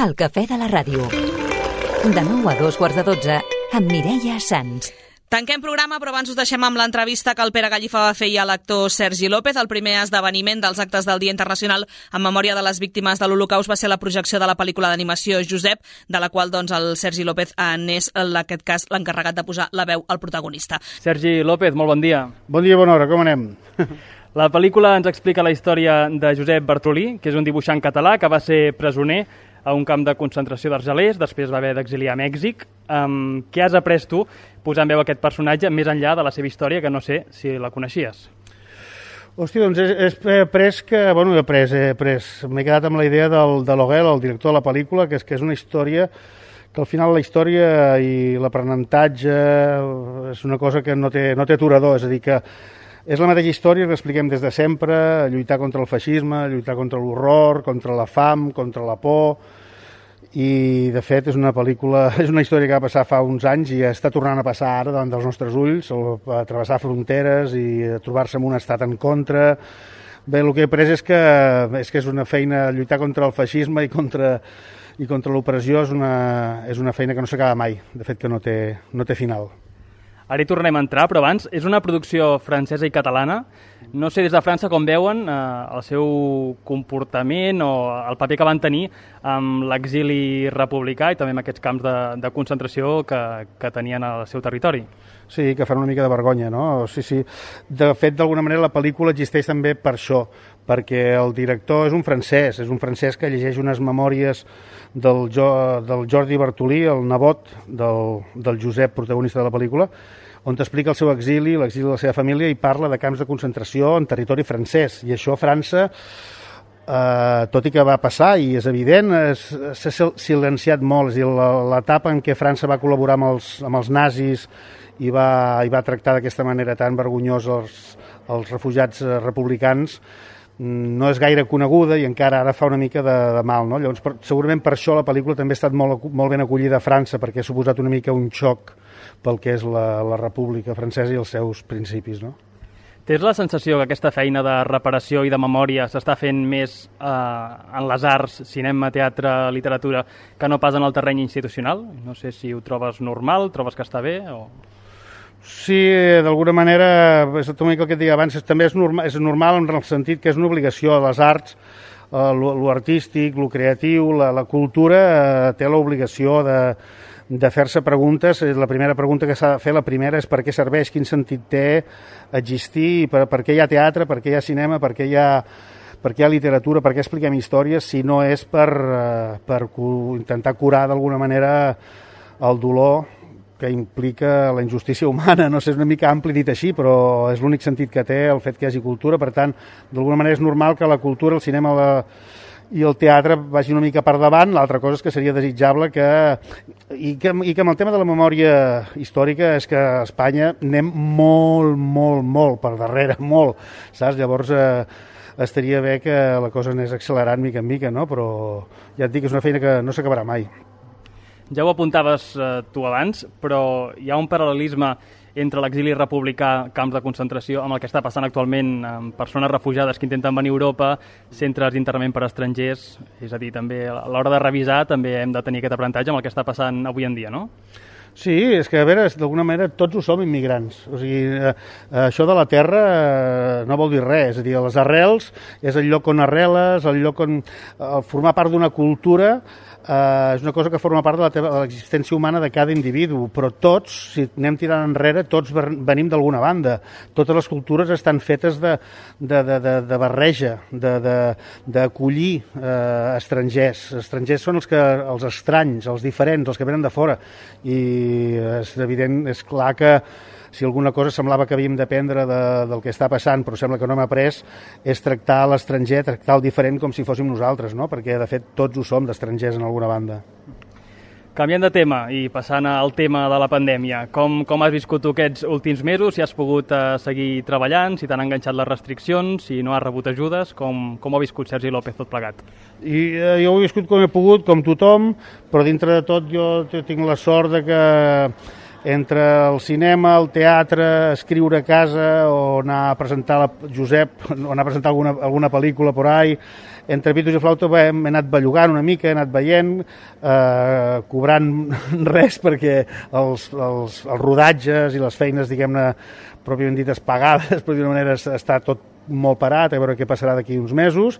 El cafè de la ràdio. De 9 a 2:15 amb Mireia Sans. Tanquem programa, però abans us deixem amb l'entrevista que el Pere Gallifa va fer a l'actor Sergi López. El primer esdeveniment dels actes del Dia Internacional en memòria de les víctimes de l'Holocaust va ser la projecció de la pel·lícula d'animació Josep, de la qual el Sergi López n'és, en aquest cas, l'encarregat de posar la veu al protagonista. Sergi López, molt bon dia. Bon dia, bona hora, com anem? La pel·lícula ens explica la història de Josep Bartolí, que és un dibuixant català que va ser presoner a un camp de concentració d'Argelers, després va haver d'exiliar a Mèxic. Què has après tu posant veu aquest personatge més enllà de la seva història, que no sé si la coneixies? Hòstia, doncs he après que... Bueno, m'he quedat amb la idea de Loguel, el director de la pel·lícula, que és una història que al final la història i l'aprenentatge és una cosa que no té aturador, és a dir, que és la mateixa història que expliquem des de sempre, lluitar contra el feixisme, lluitar contra l'horror, contra la fam, contra la por, i de fet és una pel·lícula, és una història que va passar fa uns anys i està tornant a passar ara davant dels nostres ulls, a travessar fronteres i a trobar-se en un estat en contra. Bé, el que he après és que és una feina, lluitar contra el feixisme i contra l'opressió és una feina que no s'acaba mai, de fet que no té final. Ara hi tornem a entrar, però abans és una producció francesa i catalana. No sé des de França com veuen el seu comportament o el paper que van tenir amb l'exili republicà i també amb aquests camps de concentració que tenien al seu territori. Sí, que fan una mica de vergonya, no? Sí. De fet, d'alguna manera, la pel·lícula existeix també per això, perquè el director és un francès que llegeix unes memòries del Jordi Bartolí, el nebot del Josep, protagonista de la pel·lícula, on explica el seu exili, l'exili de la seva família, i parla de camps de concentració en territori francès. I això a França, tot i que va passar, i és evident, s'ha silenciat molt. És a dir, l'etapa en què França va col·laborar amb els nazis i va tractar d'aquesta manera tan vergonyosa els refugiats republicans no és gaire coneguda i encara ara fa una mica de mal, no? Llavors, segurament per això la pel·lícula també ha estat molt ben acollida a França, perquè ha suposat una mica un xoc pel que és la República Francesa i els seus principis, no? Tens la sensació que aquesta feina de reparació i de memòria s'està fent més en les arts, cinema, teatre, literatura, que no pas en el terreny institucional? No sé si ho trobes normal, trobes que està bé o... Sí, d'alguna manera, és una mica el que et deia abans, també és normal en el sentit que és una obligació a les arts, lo artístic, lo creatiu, la cultura té l'obligació de fer-se preguntes. La primera pregunta que s'ha de fer, la primera, és per què serveix, quin sentit té existir, per què hi ha teatre, per què hi ha cinema, per què hi ha literatura, per què expliquem històries, si no és per intentar curar d'alguna manera el dolor que implica la injustícia humana. No sé, és una mica ampli dit així, però és l'únic sentit que té el fet que hi hagi cultura. Per tant, d'alguna manera és normal que la cultura, el cinema i el teatre vagi una mica per davant. L'altra cosa és que seria desitjable i que amb el tema de la memòria històrica és que a Espanya anem molt per darrere, molt, saps? Llavors estaria bé que la cosa anés accelerant mica en mica, no? Però ja et dic, és una feina que no s'acabarà mai. Ja ho apuntaves tu abans, però hi ha un paral·lelisme entre l'exili republicà, camps de concentració, amb el que està passant actualment amb persones refugiades que intenten venir a Europa, centres d'internament per a estrangers, és a dir, també a l'hora de revisar també hem de tenir aquest aprenentatge amb el que està passant avui en dia, no? Sí, és que, a veure, d'alguna manera tots ho som immigrants. O sigui, això de la terra no vol dir res. És a dir, les arrels és el lloc on arreles, el lloc on formar part d'una cultura és una cosa que forma part de l'existència humana de cada individu, però tots, si anem tirant enrere, tots venim d'alguna banda. Totes les cultures estan fetes de barreja, d'acollir estrangers. Estrangers són els estranys, els diferents, els que venen de fora. I és evident, és clar que si alguna cosa semblava que havíem d'aprendre del que està passant, però sembla que no hem après, és tractar l'estranger, tractar el diferent com si fóssim nosaltres, no? Perquè de fet tots ho som d'estrangers en alguna banda. Canviant de tema i passant al tema de la pandèmia, com has viscut tu aquests últims mesos? Si has pogut seguir treballant, si t'han enganxat les restriccions, si no has rebut ajudes, com ha viscut Sergi López tot plegat? Jo ho he viscut com he pogut, com tothom, però dintre de tot jo tinc la sort de que entre el cinema, el teatre, escriure a casa o anar a presentar Josep, o anar a presentar alguna pel·lícula por ahí, entre pitos i flauta hem anat bellugant una mica, he anat veient, cobrant res perquè els rodatges i les feines, diguem-ne, pròpiament dites pagades, però d'una manera està tot molt parat, a veure què passarà d'aquí uns mesos,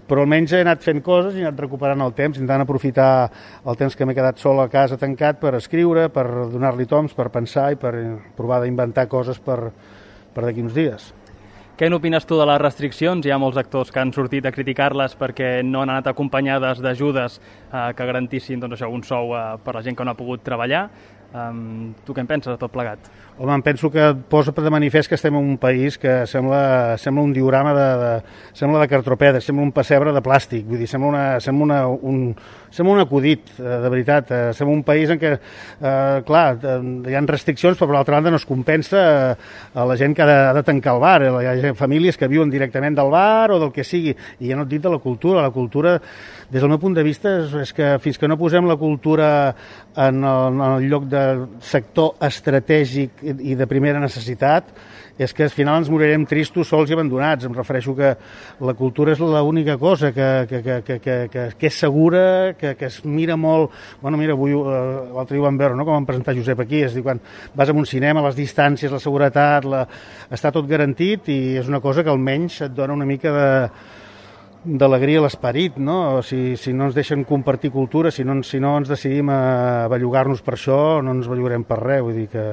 però almenys he anat fent coses i he anat recuperant el temps, intentant aprofitar el temps que m'he quedat sol a casa tancat per escriure, per donar-li toms, per pensar i per provar d'inventar coses per d'aquí uns dies. Què n'opines tu de les restriccions? Hi ha molts actors que han sortit a criticar-les perquè no han anat acompanyades d'ajudes que garantissin un sou per la gent que no ha pogut treballar. Tu què en penses de tot plegat? Home, em penso que posa de manifest que estem en un país que sembla un diorama sembla de cartropeda, sembla un pessebre de plàstic, vull dir, sembla un acudit, de veritat. Sembla un país en què, clar, hi ha restriccions, però per l'altra banda no es compensa a la gent que ha de tancar el bar. Hi ha famílies que viuen directament del bar o del que sigui, i ja no et dic de la cultura. La cultura, des del meu punt de vista, és que fins que no posem la cultura en el lloc de sector estratègic i de primera necessitat, és que al final ens morirem tristos, sols i abandonats. Em refereixo que la cultura és l'única cosa que és segura, que es mira molt. Bueno, mira, l'altre dia ho vam veure, no?, com vam presentar Josep aquí, és a dir, quan vas a un cinema, les distàncies, la seguretat, està tot garantit, i és una cosa que almenys et dona una mica d'alegria a l'esperit, no? Si no ens deixen compartir cultura, si no ens decidim a bellugar-nos per això, no ens bellugarem per res. Vull dir que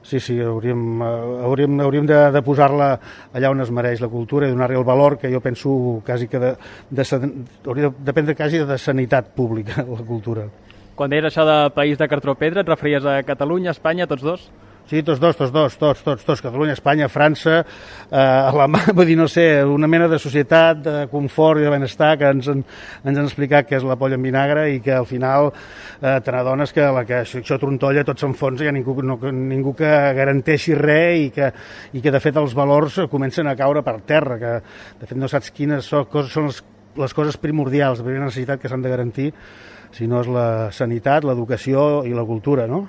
sí, hauríem de posar-la allà on es mereix la cultura i donar-li el valor que jo penso quasi que hauria de dependre quasi de sanitat pública, la cultura. Quan deies això de país de cartropedra, et referies a Catalunya, Espanya, tots dos? Sí, tots dos, Catalunya, Espanya, França, Alemanya, vull dir, no sé, una mena de societat, de confort i de benestar que ens han explicat que és la polla en vinagre i que al final te n'adones que això trontolla, tot s'enfonsa, hi ha ningú que garanteixi res i que de fet els valors comencen a caure per terra, que de fet no saps quines són les coses primordials de primera necessitat que s'han de garantir, si no és la sanitat, l'educació i la cultura, no?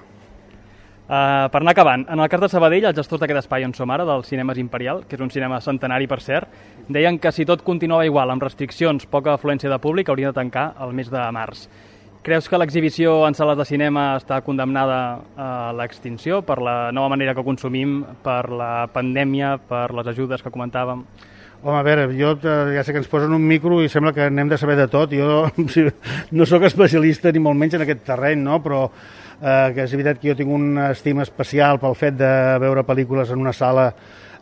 Per anar acabant, en el cas de Sabadell, els gestors d'aquest espai on som ara, del Cinemes Imperial, que és un cinema centenari per cert, deien que si tot continuava igual, amb restriccions, poca afluència de públic, haurien de tancar el mes de març. Creus que l'exhibició en sales de cinema està condemnada a l'extinció per la nova manera que consumim, per la pandèmia, per les ajudes que comentàvem? Home, a veure, jo ja sé que ens posen un micro i sembla que n'hem de saber de tot. Jo no sóc especialista ni molt menys en aquest terreny, no? Però que és evident que jo tinc una estima especial pel fet de veure pel·lícules en una sala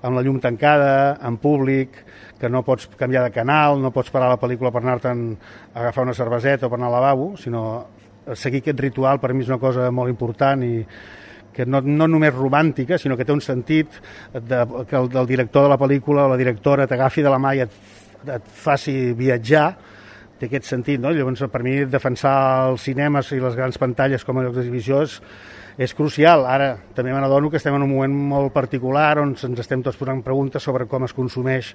amb la llum tancada, en públic, que no pots canviar de canal, no pots parar la pel·lícula per anar-te'n a agafar una cerveseta o per anar al lavabo, sinó seguir aquest ritual per mi és una cosa molt important i que no només romàntica, sinó que té un sentit que el director de la pel·lícula o la directora t'agafi de la mà i et faci viatjar, té aquest sentit, no? Llavors, per mi, defensar els cinemes i les grans pantalles com a llocs d'exhibició és crucial. Ara, també me n'adono que estem en un moment molt particular on ens estem tots posant preguntes sobre com es consumeix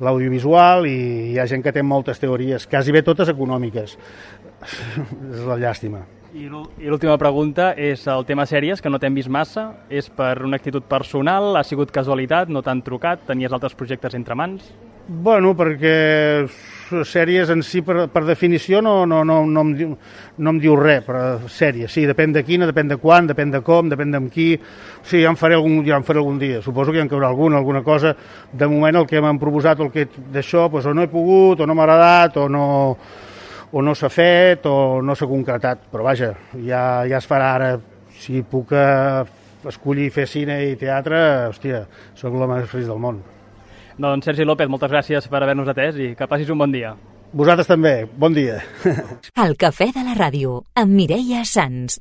l'audiovisual i hi ha gent que té moltes teories, quasi bé totes econòmiques. És la llàstima. I l'última pregunta és el tema sèries, que no t'hem vist massa. És per una actitud personal? Ha sigut casualitat? No t'han trucat? Tenies altres projectes entre mans? Bueno, perquè sèries en si, per definició, no em diu res, però sèries, sí, depèn de quina, depèn de quan, depèn de com, depèn d'amb qui. Sí, ja en faré algun dia. Suposo que hi en caurà alguna cosa. De moment el que m'han proposat d'això, doncs, o no he pogut, o no m'ha agradat, o no s'ha fet, o no s'ha concretat. Però vaja, ja es farà ara. Si puc escollir fer cine i teatre, hòstia, sóc l'home més feliç del món. Doncs Sergi López, moltes gràcies per haver-nos atès i que passis un bon dia. Vosaltres també, bon dia. El Cafè de la Ràdio, amb Mireia Sans.